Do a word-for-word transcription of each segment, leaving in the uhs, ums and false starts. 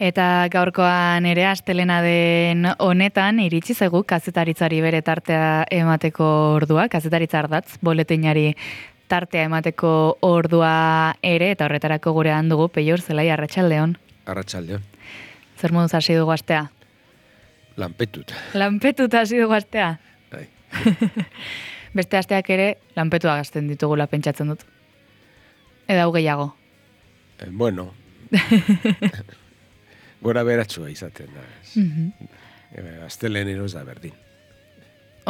Eta gaurkoan ere astelena den honetan iritsi zaigu kazetaritzari bere tartea emateko ordua, kazetaritza ardatz, boletinari tartea emateko ordua ere, eta horretarako gurean dugu Peior Zelai, arratsaldeon. Arratsaldeon. Zer moduz hasi dugu astea? Lanpetut. Lanpetut hasi dugu astea? Bai. Beste asteak ere lanpetua gazten ditugula pentsatzen dut. Eda hau gehiago. Eh, bueno. Gora beratsua izaten da. Mm-hmm. Astelenero ez da berdin.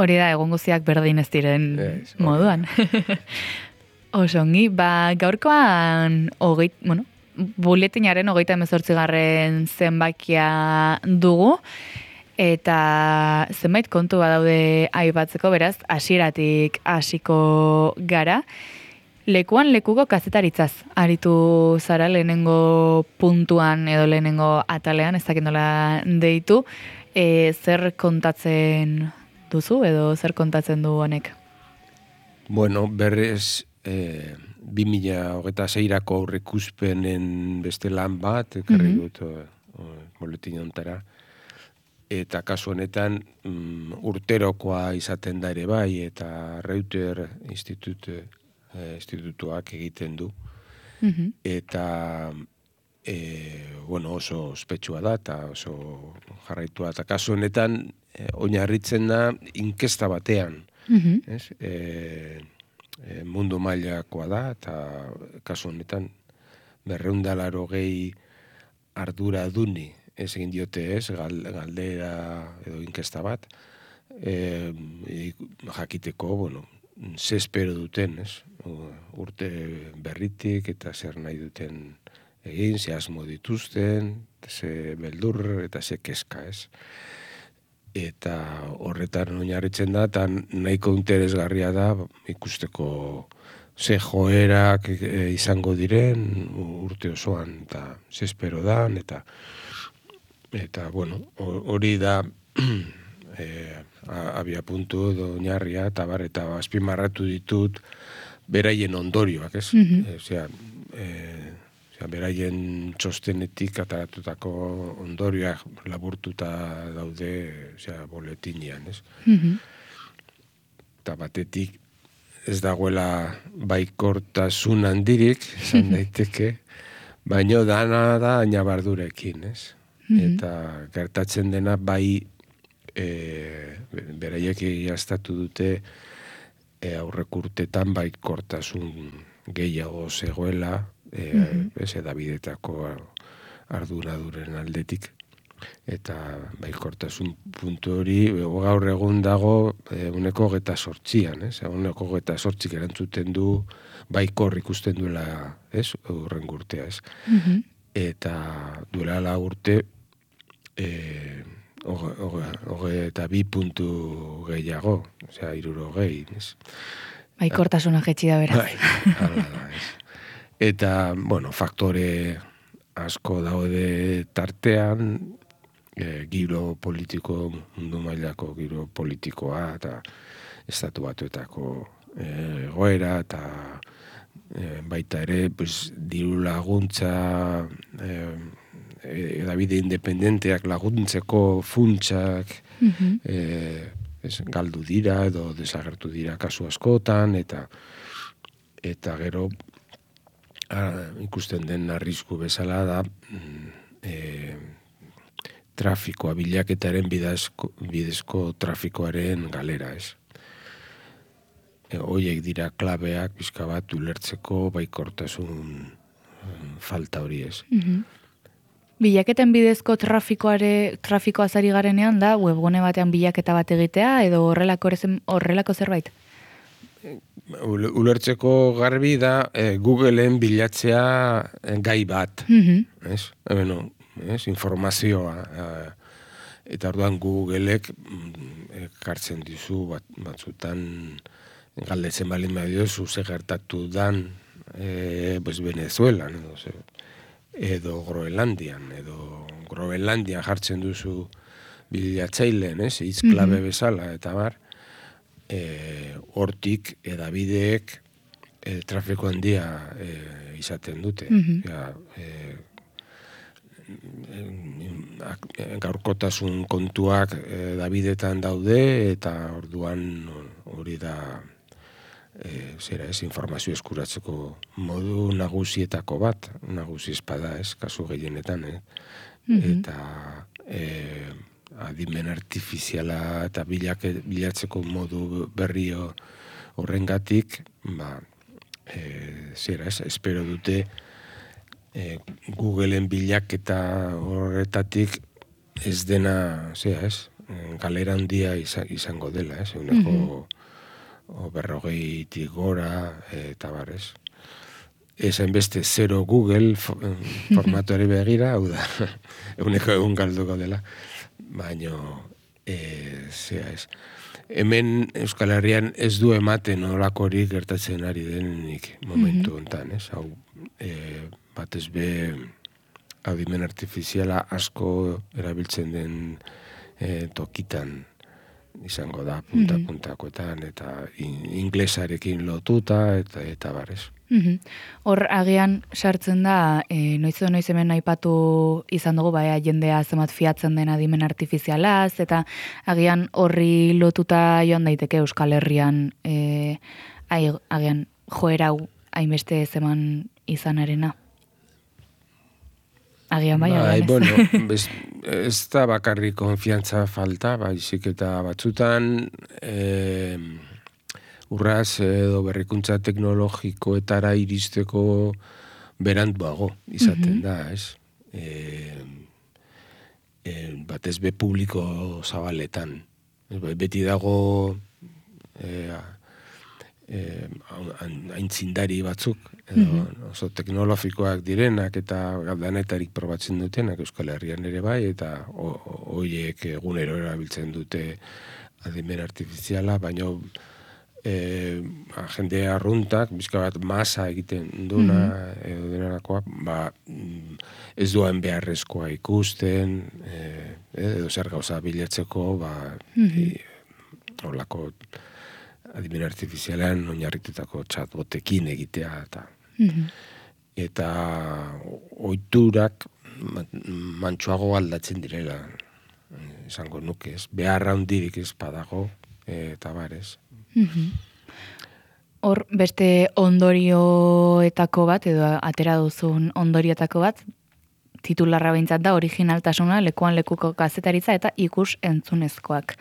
Hori da, egun guztiak berdin ez diren es, moduan. Osongi, ba, gaurkoan hogeit, bueno, buletinaren hogeita hemezortzigarren zenbakia dugu, eta zenbait kontu badaude aipatzeko, beraz, hasieratik hasiko gara. Lekuan lekuko kazetaritzaz aritu zara lehenengo puntuan edo lehenengo atalean, ez dakit nola deitu, e, zer kontatzen duzu edo zer kontatzen du honek? Bueno, berrez e, bi mila hogeita seirako aurreikuspenen beste lan bat, ekarri dut mm-hmm. boletin hontara, eta kasu honetan mm, urterokoa izaten da ere bai, eta Reuter Institute institutuak egiten du. Mm-hmm. Eta e, bueno, oso ospetsua da eta oso jarraitua. Eta kasu honetan e, oinarritzen da inkesta batean. Mm-hmm. Ez? E, e, mundu mailakoa da eta kasu honetan berrehun eta laurogei ardura duni ez egin diote ez, galdera edo inkesta bat. E, e, jakiteko, bueno, ze espero duten, ez? Urte berritik eta zer nahi duten egin, ze asmo dituzten, ze beldur eta ze keska, ez? Eta horretan oinarritzen da, eta nahiko interesgarria da ikusteko ze joerak e, izango diren urte osoan, eta ze espero dan, eta eta, bueno, hori da e, abia puntu oinarria, eta bar, eta azpimarratu ditut beraien ondorioak, ez? Mm-hmm. Osea, e, osea, beraien txostenetik ataratutako ondorioak laburtuta daude, osea, boletinean, ez? Mm-hmm. Eta batetik ez dagoela baikortasun handirik, esan daiteke, baino dana da ainabardurekin, ez? Mm-hmm. Eta gertatzen dena bai e, beraiek egiaztatu dute E, aurrekurtetan baikortasun gehiago zegoela, e, mm-hmm. ez edabidetako arduraduren aldetik. Eta baikortasun puntu hori, gaur egun dago e, uneko geta sortzian, ez? Uneko geta sortzik erantzuten du baikor ikusten duela, ez? Urren urtea, ez? Mm-hmm. Eta duela la urte, e, Oge, oge, oge eta bi puntu gehiago, osea, iruro gehi, ez? Baikortasuna jetxi da beraz. Bai, hala da, ez. Eta, bueno, faktore asko daude tartean, e, giro politiko, mundu mailako giro politikoa, eta estatu batuetako egoera, e, eta e, baita ere, pues, diru laguntza, e, edabide independenteak laguntzeko funtsak mm-hmm. e, ez, galdu dira edo desagertu dira kasu askotan, eta eta gero a, ikusten den arrisku bezala da e, trafikoa, bilaketaren bidezko, bidezko trafikoaren galera, ez? E, hoiek dira klabeak pixka bat ulertzeko baikortasun falta hori, ez? Mm-hmm. Bilaketen bidezko trafikoare, trafikoa zari garenean da, webgune batean bilaketa bat egitea, edo horrelako, horrelako zerbait? Ulertzeko garbi da e, Googleen bilatzea gai bat, mm-hmm. ez? Ebeno, ez? Informazioa. E, eta orduan Googleek ekartzen dizu bat, batzutan galdetzen balin badiozu ze gertatu dan e, pues Venezuelan, edo ze. edo Groenlandian, edo Groenlandian jartzen duzu bilatzaileen, ez, hitz klabe mm-hmm. bezala, eta bar, e, hortik edabideek e, trafiko handia e, izaten dute. Mm-hmm. Ja, e, gaurkotasun kontuak e, Davidetan daude, eta orduan hori da e, zera ez, informazio eskuratzeko modu nagusietako bat, nagusi espada ez, kasu gehienetan, eh? Mm-hmm. Eta e, adimen artifiziala eta bilak, bilatzeko modu berrio horrengatik, ba, e, zera ez, espero dute e, Googleen bilaketa horretatik ez dena, zera ez, galera handia izango dela, ez, eguneko mm-hmm. berrogeitik gora, eta barez. Ez hainbeste zero Google formatuari begira, hau da, eguneko egun galduko dela, baina, e, zera ez. Hemen Euskal Herrian ez du ematen olakorik gertatzen ari denik momentu honetan, ez? Hau, e, batez be adimen artifiziala asko erabiltzen den e, tokitan izango da, punta-puntakoetan, eta in, inglesarekin lotuta, eta, eta barez. Hor, agian sartzen da, e, noiz edo noiz hemen aipatu izan dugu, baina jendea zemat fiatzen den adimen artifizialaz, eta agian horri lotuta joan daiteke Euskal Herrian, e, agian joera hainbeste zeman izanarena. Agian bai, bai, agian ez. Bueno, bez, ez da bakarrik konfiantza falta, baizik eta batzutan e, urraz edo berrikuntza teknologikoetara iristeko beranduago izaten mm-hmm. da, ez? E, e, batez be publiko zabaletan. Beti dago e, e, aintzindari batzuk, edo mm-hmm. oso teknologikoak direnak eta danetarik probatzen dutenak Euskal Herrian ere bai, eta horiek egunero erabiltzen dute adimen artifiziala, baina E, jende arruntak, bizka bat masa egiten duna, mm-hmm. edo denarakoa, ba, ez duen beharrezkoa ikusten, e, edo zer gauza bilatzeko, ba, mm-hmm. horlako adimen artifizialean oinarritutako chatbotekin egitea, eta mm-hmm. eta ohiturak mantsoago aldatzen direla, izango nuke ez, beharra handirik ez badago, eta barez. Hor, beste ondorioetako bat, edo atera duzun ondorioetako bat, titularra behintzat da, originaltasuna, lekuan lekuko kazetaritza eta ikus entzunezkoak.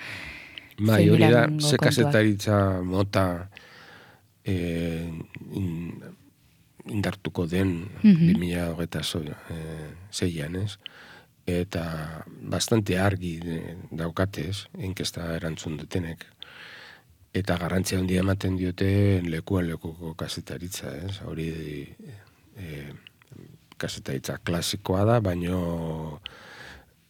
Bai, hori da, ze kazetaritza mota e, in, indartuko den mm-hmm. bi mila hogeita zeian, ez? Eta bastante argi daukatez, inkesta erantzun dutenek. Eta garrantzia handia ematen diote lekuan lekuko kazetaritza, ez? Hori e, kazetaritza klasikoa da, baino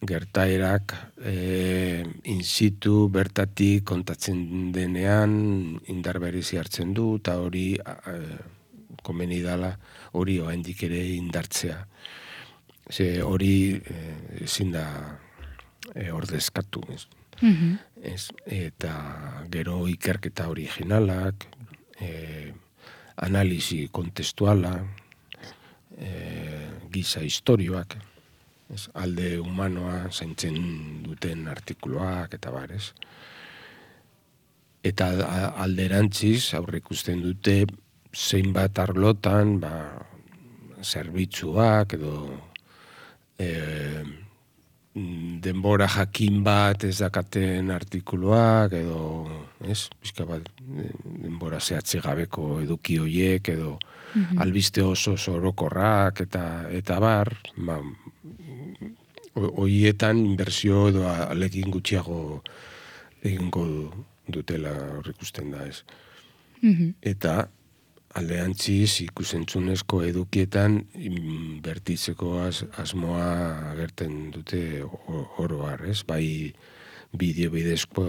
gertaerak e, in situ bertatik kontatzen denean indar berezi hartzen du, eta hori e, komeni dala hori oraindik ere indartzea. Ze hori ezin da e, ordezkatu, ez? Mm-hmm. Ez, eta gero ikerketa originalak, e, analisi kontestuala, e, giza historioak, ez, alde humanoa zaintzen duten artikuluak eta barez. Eta alderantziz aurreikusten dute zeinbat arlotan, ba, zerbitzuak edo e, denbora jakin bat ez dakaten artikuluak, edo, ez, bizka bat, denbora zehatzi gabeko eduki hoiek, edo mm-hmm. albiste oso orokorrak, eta, eta bar, ba, hoietan inbertsio edo alekin gutxiago egingo dutela horrikusten da, ez. Mm-hmm. Eta aldeantziz ikusentzunezko edukietan inbertitzeko az, asmoa agerten dute oroar, ez? Bai bideo bidezko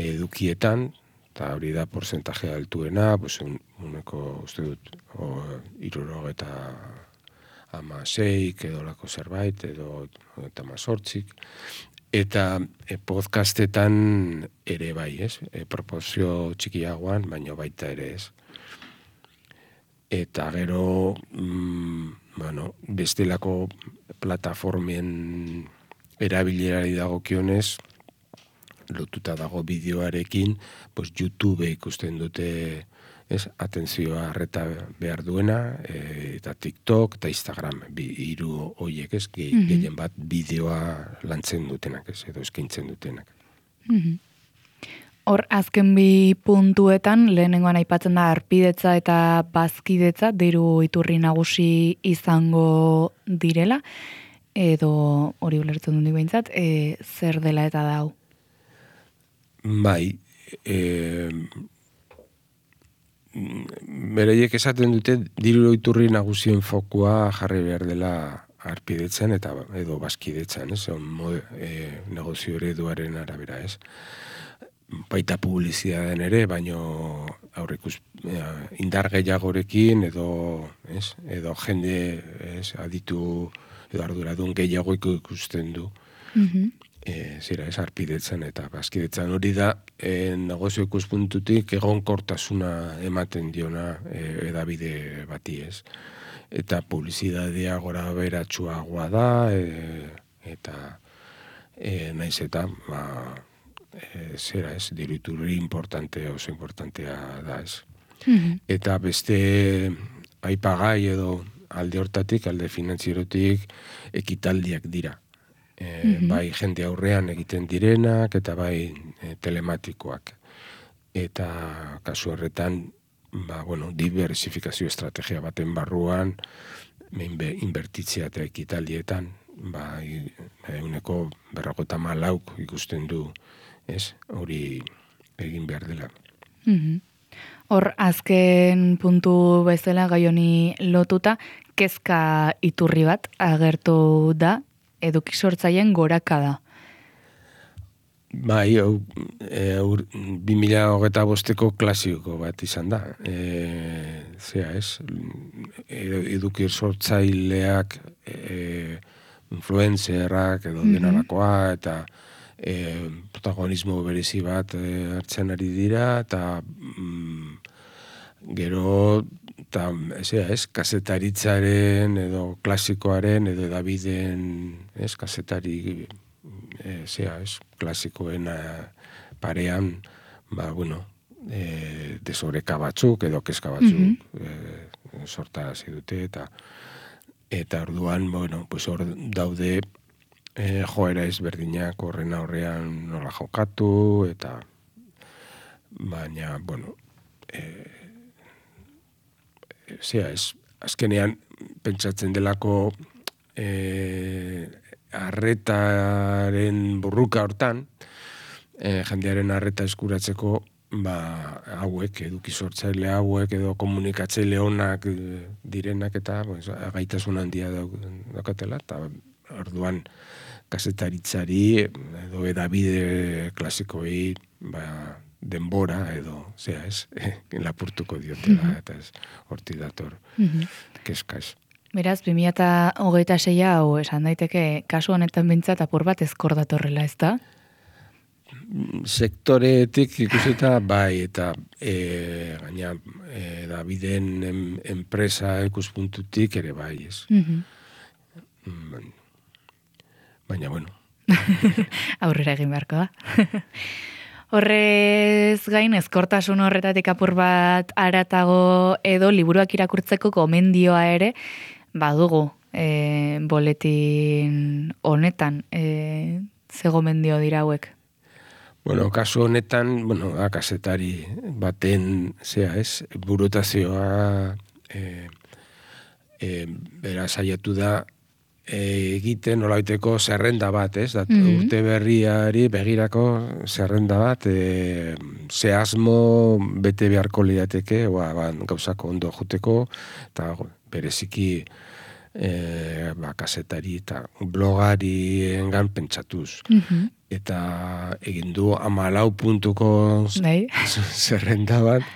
edukietan, eta hori da porcentaje altuena, pues uneko, uste dut, iruro eta ama seik, edo lako zerbait, edo eta mazortzik. Eta e, podcastetan ere bai, ez? E, proporzio txikiagoan, baina baita ere ez. Eta gero mm, bueno, bestelako plataformen erabilerari dagokionez, lotuta dago bideoarekin, pues YouTube ikusten dute, ez, atentzioa arreta behar duena, e, eta TikTok eta Instagram, bi, hiru horiek, ez, ge, mm-hmm. gehien bat bideoa lantzen dutenak, ez, edo eskaintzen dutenak. Mm-hmm. Hor, azken bi puntuetan, lehenengoan aipatzen da harpidetza eta bazkidetza, diru iturri nagusi izango direla, edo hori ulertzen dut behintzat, e, zer dela eta dau? Bai, e, bereiek esaten dute diru iturri nagusien fokua jarri behar dela harpidetzen eta edo bazkidetzen, ez? Mode, e, negozio ereduaren arabera, ez? Baita publizitatean ere, baino aurrekus indar gehiagorekin edo, ez? Edo jende, ez? Aditu edo arduradun gehiago ikusten du. Mm-hmm. E, zera, ez, harpidetzen eta bazkidetzen hori da, e, negozio ikuspuntutik egonkortasuna ematen diona e, edabide bati, ez. Eta publizitatea gora beratsuagoa da, e, eta e, naiz eta, ba, e, zera, ez, diru iturri importante, oso importantea da, ez. Mm-hmm. Eta beste aipagai edo alde hortatik, alde finantzierotik, ekitaldiak dira. E, mm-hmm. Bai jende aurrean egiten direnak eta bai e, telematikoak. Eta kasu horretan, ba, bueno, diversifikazio estrategia baten barruan, inbertitzea eta ekitaldietan, ba, eguneko berrogota malauk ikusten du, ez, hori egin behar dela. Mm-hmm. Hor, azken puntu bezala gai honi lotuta, kezka iturri bat agertu da, eduki sortzaileen gorakada. Bai, hau, e, bi mila hogeita bosteko klasiko bat izan da. E, zera, ez? Eduki sortzaileak, e, influencerrak edo mm-hmm. denarakoa, eta e, protagonismo berezi bat e, hartzen ari dira, eta mm, gero, eta, zera, ez, kazetaritzaren edo klasikoaren edo edabideen, ez, kazetari, e, zera, ez, klasikoen parean, ba, bueno, e, desoreka batzuk edo kezka batzuk mm-hmm. e, sortarazi dute, eta eta orduan, bueno, pues hor daude e, joera ezberdinak horren aurrean nola jokatu, eta baina, bueno, e, zera, ez, azkenean pentsatzen delako e, arretaren burruka hortan, e, jendearen arreta eskuratzeko, ba, hauek, eduki sortzaile hauek, edo komunikatzaile onak direnak, eta pues, gaitasun handia daukatela, eta orduan kazetaritzari, edo edabide klasikoei, ba, denbora edo, zera ez, lapurtuko diotela, mm-hmm. eta ez, horti dator, mm-hmm. kezka ez. Beraz, bi mila hogeita sei hau esan daiteke, kasu honetan bintzat apur bat ezkor datorrela, ez da? Sektoretik ikusita bai, eta e, gaina, e, da biden em, enpresa ikuspuntutik ere bai, ez. Mm-hmm. Baina, bueno. Aurrera egin beharko da. Horrez gain, ezkortasun horretatik apur bat aratago edo liburuak irakurtzeko gomendioa ere, badugu e, boletin honetan, e, ze gomendio dira hauek? Bueno, kasu honetan, bueno, kazetari baten, zea ez, burutazioa e, e, bera saiatu da, egiten nolabaiteko zerrenda bat, ez? Dat, mm-hmm. urte berriari begirako zerrenda bat, e, ze asmo bete beharko lirateke, ba, ba, gauzako ondo joteko, eta bereziki e, ba, kazetari eta blogari engan pentsatuz. Mm-hmm. Eta egin du amalau puntuko zerrenda bat,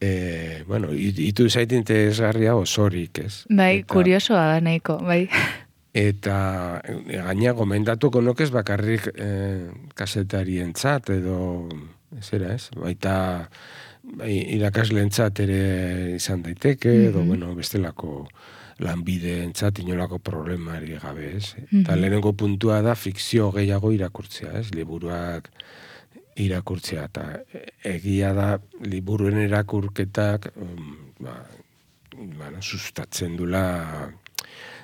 E, bueno, itu zaite interesgarria osorik, ez? Bai, eta, kuriosoa da nahiko, bai. Eta gaina gomendatuko nokez bakarrik e, kasetarientzat edo, zera ez? Baita bai, irakaslentzat ere izan daiteke, mm-hmm. edo, bueno, bestelako lanbide entzat inolako problemari gabe, ez? Mhm. Eta lehenengo puntua da fikzio gehiago irakurtzea, ez? Liburuak irakurtzea, eta egia da liburuen irakurketak um, ba, bueno, sustatzen dula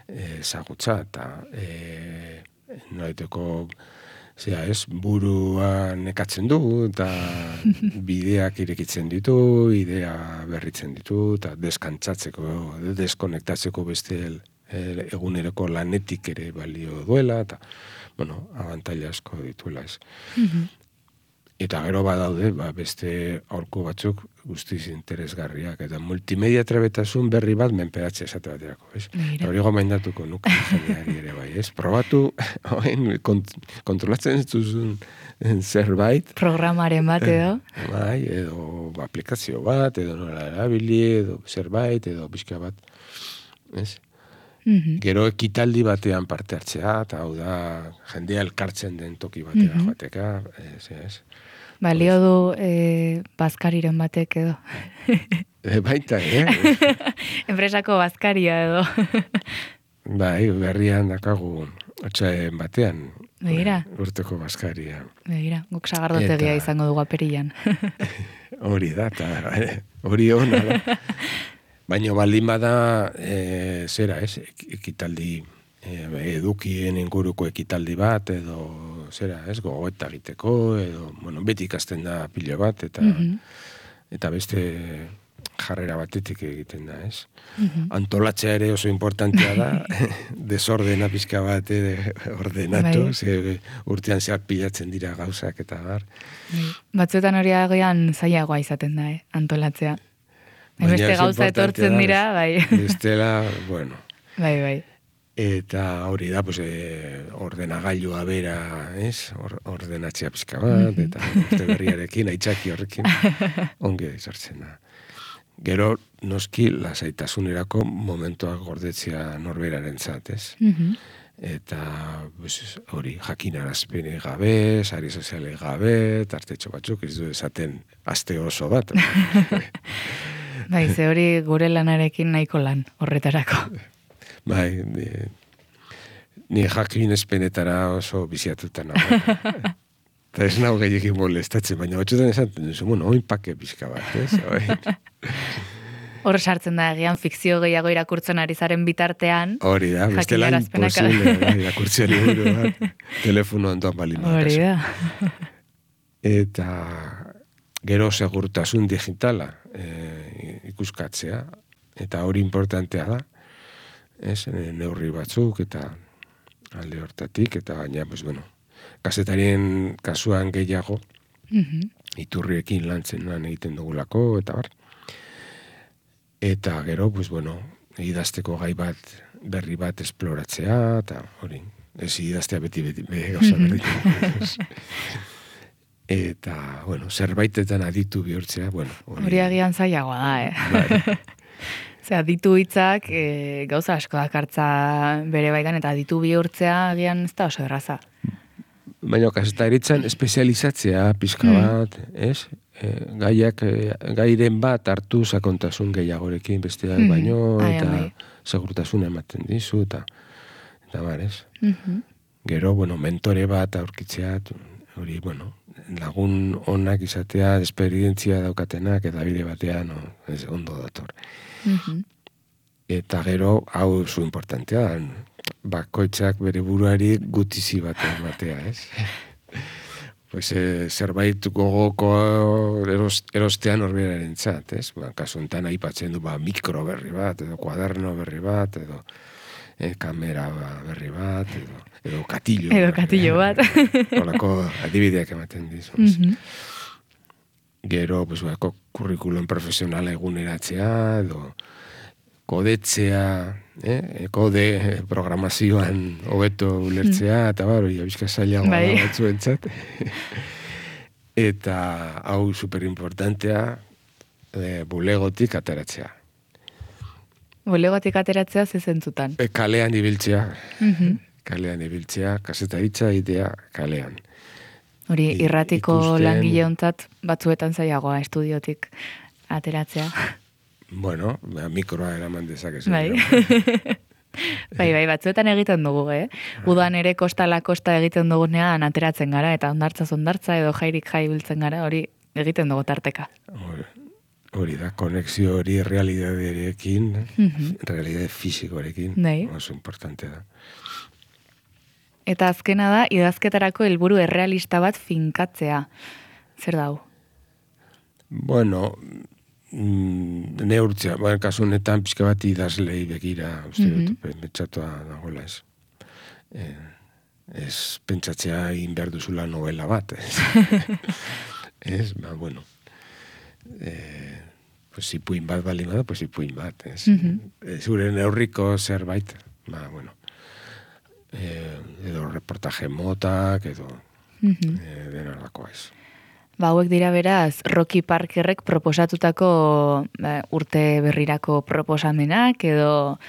ezagutza, eta e, nolaiteko zera, ez, burua nekatzen du, eta bideak irekitzen ditu, idea berritzen ditu, eta deskantzatzeko, deskonektatzeko beste el, el, eguneroko lanetik ere balio duela, eta, bueno, abantaila asko dituela, ez. Mhm. Eta gero badaude, ba, beste aurko batzuk guztiz interesgarriak, eta multimedia trebetasun berri bat menperatzea esate baterako, ez? Hori gomendatuko nuke jendeari ere bai, ez? Probatu, oen, kont kontrolatzen duzun zerbait. Programaren bat edo. Bai, edo aplikazio bat, edo nola erabili, edo zerbait, edo pixka bat, ez? Mhm. Gero ekitaldi batean parte hartzea, eta hau da, jendea elkartzen den toki batera Mhm. joateka, ez, ez? Balio du eh, bazkariren batek edo. E, baita, eh? Enpresako bazkaria edo. Bai, berrian dakagu otxaen batean. Begira. Urteko bazkaria. Begira, guk sagardotegia Eta- izango dugu apirilan. Hori da, eta eh, hori hona da. Baina baldin bada, e, zera, ez, ek- ekitaldi, e, edukien inguruko ekitaldi bat, edo, zera, ez, gogoeta egiteko, edo, bueno, beti ikasten da pilo bat, eta, Mhm. eta beste jarrera batetik egiten da, ez. Mhm. Antolatzea ere oso importantea da, desordena pizka bat ere ordenatu, Bai. ze urtean zehar pilatzen dira gauzak eta bar. Bai. Batzuetan hori agian zailagoa izaten da, eh, antolatzea. Baina Hainbeste oso gauza importantea etortzen da, dira, bai. Bestela, bueno, Bai, bai. eta hori da, pues, e, ordenagailua bera, ez? Or, ordenatzea pizka bat, eta urte berriarekin, aitzaki horrekin, ongi izartzen da. Gero, noski, lasaitasunerako momentuak gordetzea norberaren zat, ez? Mhm. Eta pues, hori jakinarazpene gabe, sari soziale gabe, tartetxo batzuk, ez du esaten aste oso bat. Bai, ze hori gure lanarekin nahiko lan, horretarako. Bai, ni, ni jakinezpenetara oso biziatuta nago. Eta ez nago gehiakin molestatzen, baina batzutan esaten duzu, bueno, oin pake pixka bat, ez? Oin. Hor sartzen da egian fikzio gehiago irakurtzen ari zaren bitartean. Hori da, bestela Jakinarazpenak- imposible, da, irakurtzea liburu bat, telefono ondoan balin bat. Hori da. Eta gero segurtasun digitala e, ikuskatzea, eta hori importantea da, ez, neurri batzuk, eta alde hortatik, eta gaina, pues, bueno, kazetarien kasuan gehiago, Mhm. iturriekin lantzen lan egiten dugulako, eta bar. Eta gero, pues, bueno, idazteko gai bat, berri bat esploratzea, eta hori, ez idaztea beti, beti, beti gauza Mhm. berdin. Eta, bueno, zerbaitetan aditu bihurtzea, bueno. Hori agian zailagoa da, eh? Bai. Osea, ditu hitzak e, gauza asko dakartza bere baitan, eta ditu bihurtzea agian ez da oso erraza. Baina, kazetaritzan espezializatzea pizka bat, ez? E, gaiak, e, gairen bat hartu sakontasun gehiagorekin besteak Mhm. baino, Ai, eta bai. segurtasuna ematen dizu, eta, eta bar, ez? Mhm. Gero, bueno, mentore bat aurkitzea, tu- hori, bueno, lagun onak izatea, esperientzia daukatenak, eta bide batean, no, ez, ondo dator. Mhm. Eta gero, hau zu importantea, da, bakoitzak bere buruari gutizi bat ematea, ez? Pues, e, zerbait gogoko eros, erostean horberaren txat, ez? Ba, kasu enten aipatzen du, ba, mikro berri bat, edo kuaderno berri bat, edo e, kamera berri bat, edo, edo katillo. Edo berri katillo bat. Horako adibideak ematen dizu. ez? Mhm. Gero, pues, bako, kurrikulum profesionala eguneratzea, edo kodetzea, eh? kode programazioan hobeto ulertzea, eta bar, hori abizka zailagoa Bai. da batzuentzat. Eta hau superimportantea, e, bulegotik ateratzea. Bulegotik ateratzea zezentzutan. E, kalean ibiltzea, Mhm. kalean ibiltzea, kasetaritza idea kalean. Hori I- irratiko ikusten- langile ontzat batzuetan zailagoa estudiotik ateratzea. Bueno, mikroa eraman dezakezu. Bai. Bai, bai, batzuetan egiten dugu, eh? Udan ere kostala kosta egiten dugunean ateratzen gara, eta ondartza ondartza edo jairik jai biltzen gara, hori egiten dugu tarteka. Hori da, konexio hori realidaderekin, Mhm. realidade fisikorekin, Bai. oso importante da. Eta azkena da, idazketarako helburu errealista bat finkatzea. Zer dau? Bueno, mm, neurtzea, bueno, kasu honetan pixka bat idazlei begira, uste dut, Mhm. pentsatua dagoela ez. Eh, ez pentsatzea egin behar duzula novela bat, ez. Ez, ba, bueno. Eh, pues ipuin bat bali bada, pues ipuin bat, ez. Mhm. Eh, Zure neurriko zerbait, ba, bueno. Eh, edo reportaje motak, edo Mhm. eh, denardakoa ez. Ba, hauek dira beraz, Rocky Parkerrek proposatutako ba, urte berrirako proposamenak, edo,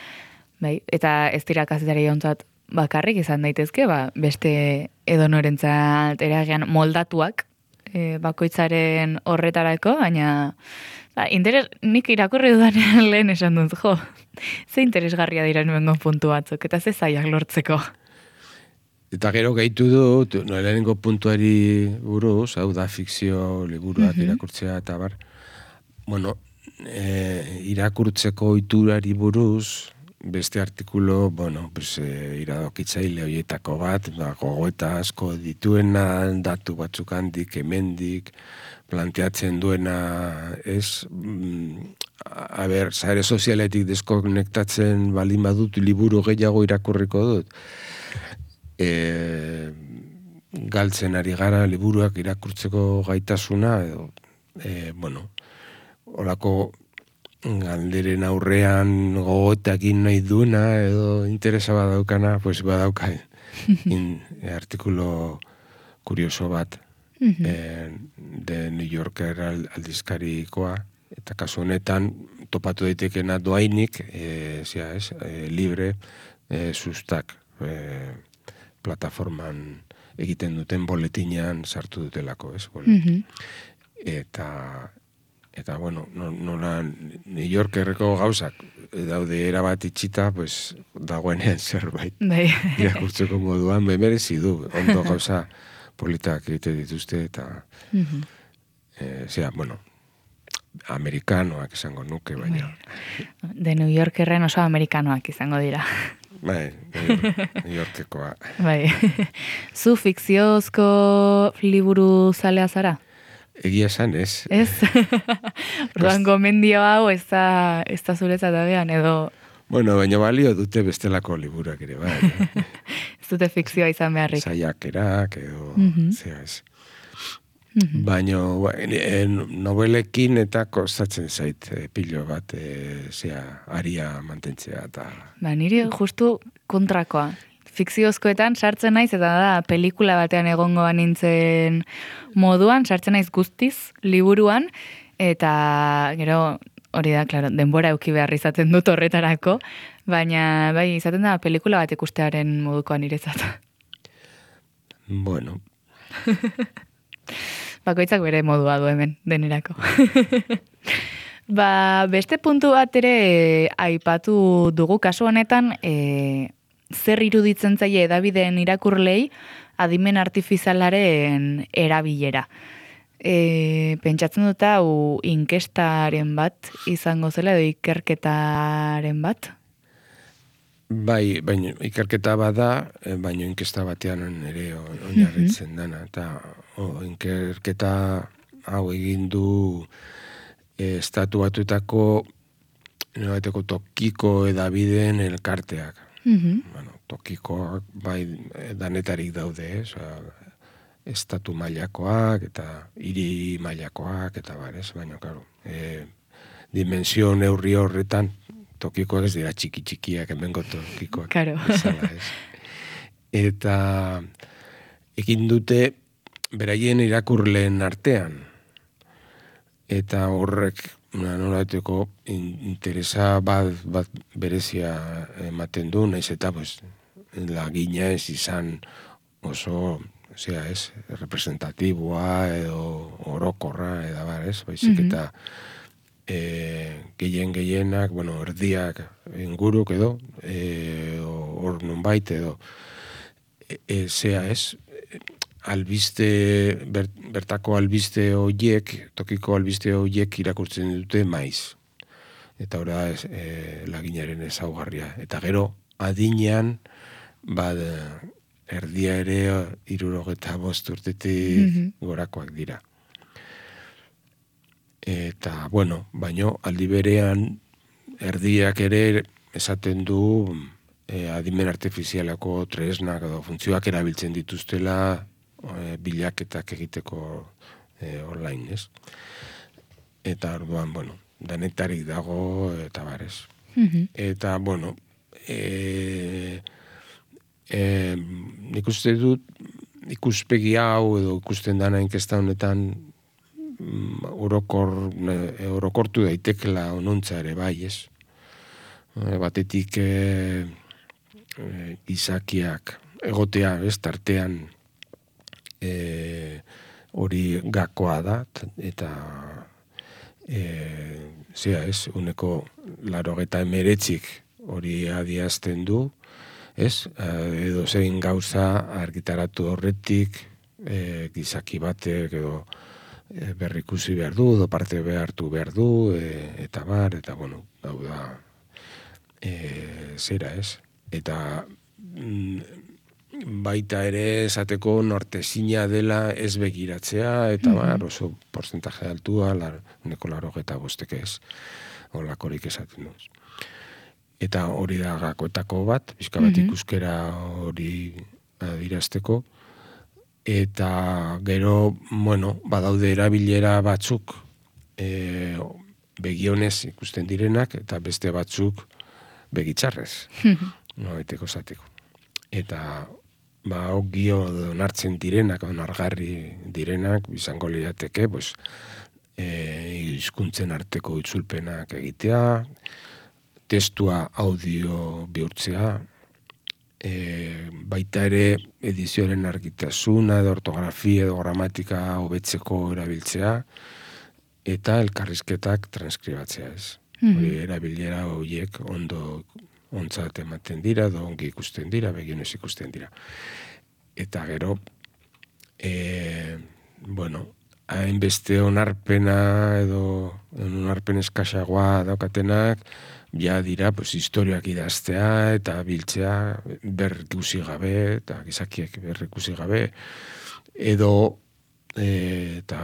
bai, eta ez dira kazetari ontzat bakarrik izan daitezke, ba, beste edonorentzat eragean moldatuak, e, bakoitzaren horretarako, baina ba, interes, nik irakurri dudanean lehen esan dut, jo, ze interesgarria dira nuengo puntu batzuk, eta ze zaiak lortzeko. Eta gero gehitu dut, no, lehenengo puntuari buruz, hau da fikzio liburuak Mhm. irakurtzea eta bar. Bueno, e, irakurtzeko ohiturari buruz, beste artikulo, bueno, pues, e, iradokitzaile horietako bat, ba, gogoeta asko dituena, datu batzuk handik, hemendik, planteatzen duena, ez, mm, a ber, sare sozialetik deskonektatzen balin badut, liburu gehiago irakurriko dut. E, galtzen ari gara liburuak irakurtzeko gaitasuna, edo, e, bueno, olako galderen aurrean gogoetakin nahi duena, edo interesa badaukana, pues badauka in, e, artikulo kurioso bat, Mhm. e, de New Yorker aldizkarikoa, eta kasu honetan topatu daitekena doainik, e, zia, ez, e, libre, e, sustak, e, plataforman egiten duten boletinean sartu dutelako, ez? Mhm. Eta, eta bueno, nola New Yorkerreko gauzak daude erabat itxita, pues, dagoenean zerbait. Bai. Irakurtzeko moduan, merezi du, ondo gauza politak egite dituzte, eta, Mhm. e, zera, bueno, amerikanoak izango nuke, baina. De New Yorkerren oso amerikanoak izango dira. Bai, New Yorkekoa. Bai. Zu fikziozko liburu zalea zara? Egia esan, ez. Ez? Orduan gomendio hau ez da, ez da zuretzat agian, edo Bueno, baina balio dute bestelako liburak ere, bai. ez dute fikzioa izan beharrik. Saiakerak, edo, Mhm. zera ez. Mhm. Baina e, nobelekin eta kostatzen zait e, pilo bat, e, zera, aria mantentzea, eta... Ba, niri justu kontrakoa. Fikziozkoetan sartzen naiz, eta da, pelikula batean egongo nintzen moduan, sartzen naiz guztiz, liburuan, eta gero, hori da, klaro, denbora euki behar izaten dut horretarako, baina, bai, izaten da, pelikula bat ikustearen modukoan niretzat. Bueno, Bakoitzak bere modua du hemen, denerako. Ba, beste puntu bat ere aipatu dugu kasu honetan, e, zer iruditzen zaie edabideen irakurlei adimen artifizialaren erabilera. E, pentsatzen dut hau inkestaren bat izango zela, edo ikerketaren bat? bai, baina ikerketa bada, e, baina inkesta batean ere oinarritzen dana, eta o, ikerketa hau egin du e, estatu batuetako nobateko tokiko edabideen elkarteak. Mhm. Bueno, tokikoak bai danetarik daude, ez? Estatu mailakoak eta hiri mailakoak eta bar, ez? Baina, claro, e, dimensio neurri horretan tokikoak ez dira txiki-txikiak, hemengo tokikoak. Claro. Bezala, ez? Eta egin dute beraien irakurleen artean. Eta horrek nolateko interesa bat, bat berezia ematen du, naiz eta pues, lagina ez izan oso, osea, ez, representatiboa edo orokorra, edo bar, ez, baizik eta e, gehien gehienak, bueno, erdiak inguruk edo, hor e, nunbait edo, e, e, zea ez, albiste, ber, bertako albiste horiek, tokiko albiste horiek irakurtzen dute maiz. Eta ora e, laginaren ezaugarria. Eta gero, adinean, bad, erdia ere hirurogeta bost urtetik mm-hmm. gorakoak dira. Eta, bueno, baino, aldi berean, erdiak ere esaten du e, adimen artifizialako tresnak edo funtzioak erabiltzen dituztela e, bilaketak egiteko e, online, ez? Eta orduan, bueno, danetarik dago eta barez. Mm-hmm. Eta, bueno, e, e, nik uste dut ikuspegi hau edo ikusten dana inkesta honetan Orokor, orokortu daitekela onuntza ere bai, ez? Batetik e, e, izakiak egotea, ez, tartean hori e, gakoa da, eta e, zera, ez, uneko larogeta emeretzik hori adiazten du, ez? Edo zein gauza argitaratu horretik, e, gizaki batek edo berrikusi behar du, edo parte behartu behar du, e, eta bar, eta bueno, hau da, e, zera ez. Eta mm, baita ere esateko nortezina dela ez begiratzea, eta bar, oso porcentaje altua, lar, uneko larogeta bostek ez, holakorik esaten duz. Eta hori da gakoetako bat, pixka bat ikuskera hori adirazteko, eta gero, bueno, badaude erabilera batzuk e, begionez ikusten direnak, eta beste batzuk begitzarrez, no, eteko zateko. Eta, ba, ogio donartzen direnak, onargarri direnak, izango lirateke, pues, e, hizkuntzen arteko itzulpenak egitea, testua audio bihurtzea, E, baita ere edizioaren argitasuna edo ortografia edo gramatika hobetzeko erabiltzea eta elkarrizketak transkribatzea ez. Mm-hmm. Hori erabilera horiek ondo ontzat ematen dira, edo ongi ikusten dira, begionez ikusten dira. Eta gero, e, bueno, hainbeste onarpena edo onarpen eskasagoa daukatenak, ja dira, pues, historiak idaztea eta biltzea berrikusi gabe, eta gizakiek berrikusi gabe, edo, e, eta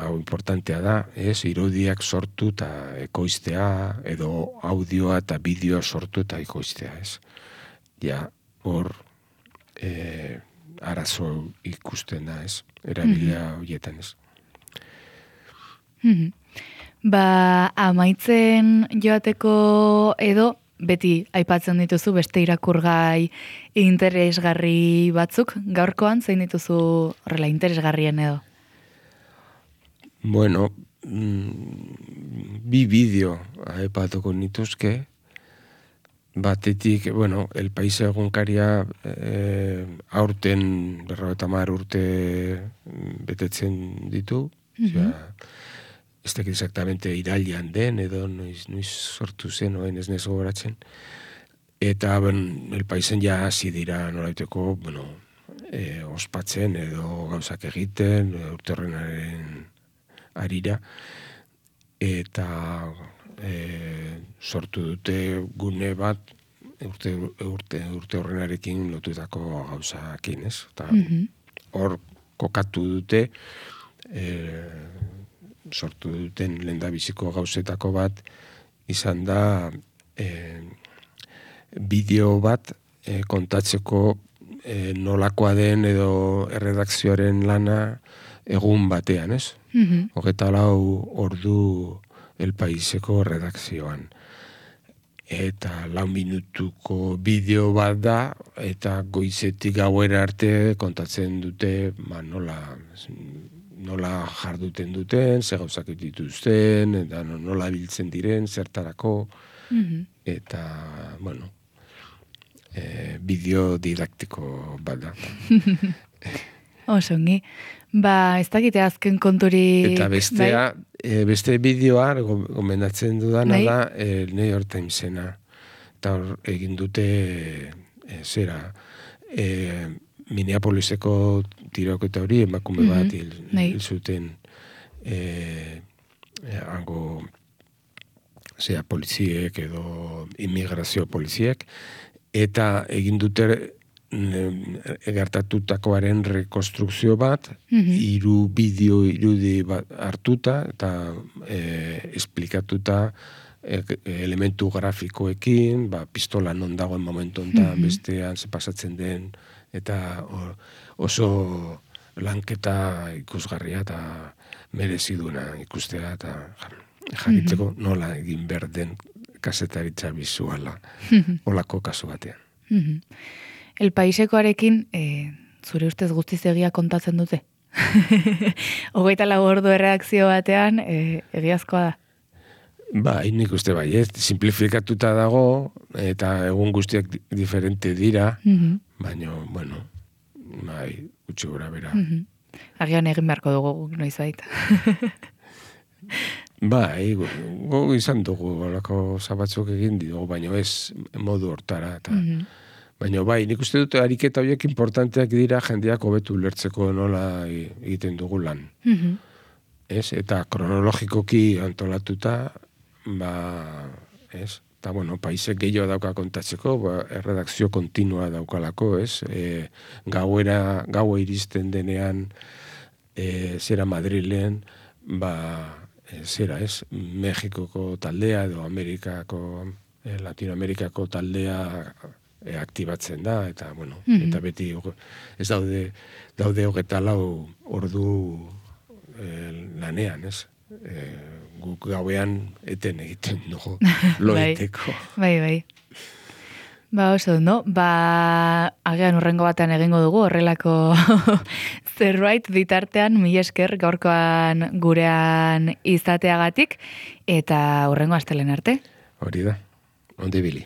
hau importantea da, ez, irudiak sortu eta ekoiztea, edo audioa eta bideoa sortu eta ekoiztea, ez. Ja, hor, e, arazo ikusten da, ez, erabilia horietan, ez. Mm-hmm. Ba, amaitzen joateko edo, beti aipatzen dituzu beste irakurgai interesgarri batzuk, gaurkoan zein dituzu horrela interesgarrien edo? Bueno, mm, bi bideo aipatuko nituzke, batetik, bueno, El País egunkaria e, aurten berrogeita hamar urte betetzen ditu, mm-hmm. Ez dakit exactamente irailean den, edo noiz, noiz sortu zen, oen ez nezo goratzen. Eta, ben, El Paisen ja hasi dira nolaiteko, bueno, e, ospatzen edo gauzak egiten, urte horrenaren arira. Eta e, sortu dute gune bat, urte, urte, urte horrenarekin lotutako gauzakin, ez? Eta hor kokatu dute, e, sortu duten lehendabiziko gauzetako bat izan da e, bideo bat e, kontatzeko e, nolakoa den edo erredakzioaren lana egun batean, ez? Mm-hmm. Hogeta lau ordu El Paiseko redakzioan. Eta lau minutuko bideo bat da, eta goizetik gauera arte kontatzen dute, ba, nola... nola jarduten duten, ze gauzak dituzten, eta nola biltzen diren, zertarako, mm-hmm. eta, bueno, e, bideo didaktiko bat da. Osongi. Ba, ez dakite azken konturik... Eta bestea, e, beste bideoa, gomendatzen dudana Bai. da, e, New York Timesena. Eta hor egin dute, e, zera, e, Minneapoliseko tiroketa hori, emakume Mhm, bat hil, bai. hil zuten e, e, hango zera, poliziek edo immigrazio poliziek, eta egin dute gertatutakoaren rekonstrukzio bat, Mhm. hiru bideo irudi bat hartuta, eta e, esplikatuta e, elementu grafikoekin, ba, pistola non dagoen momentu honetan, Mhm. bestean ze pasatzen den, eta o, oso lanketa ikusgarria eta mereziduna ikustea, eta jakiteko nola egin behar den kazetaritza bizuala, olako kasu batean. Mhm. El Paisekoarekin, e, zure ustez guztiz egia kontatzen dute? Hogeita lau ordu erreakzio batean, e, egiazkoa da? Bai, nik uste bai, ez, simplifikatuta dago, eta egun guztiak di- diferente dira, Mhm. baina, bueno, bai, gutxi gora bera. Mhm. Agian egin beharko dugu guk noizbait. Bai, gu, gu izan dugu, olako zabatzuk egin dugu, baina ez modu hortara, eta Mhm. baina bai, nik uste dut ariketa horiek importanteak dira jendeak hobetu ulertzeko nola e- egiten dugu lan. Mhm. Ez? Eta kronologikoki antolatuta, ba, ez? Eta, bueno, paisek gehiago dauka kontatzeko, ba, erredakzio kontinua daukalako, ez? E, gauera, gaua iristen denean, e, zera Madrilen, ba, e, zera, ez? Mexikoko taldea edo Amerikako, e, Latinoamerikako taldea e, aktibatzen da, eta, bueno, Mhm. eta beti hoge- ez daude, daude hogeta lau ordu e, lanean, ez? E, guk gauean eten egiten dugu, loeteko. Bai, bai. Ba, oso, no? Ba, agian urrengo batean egingo dugu, horrelako zerbait bitartean, mila esker gaurkoan gurean izateagatik, eta urrengo astelen arte. Hori da, onde bili.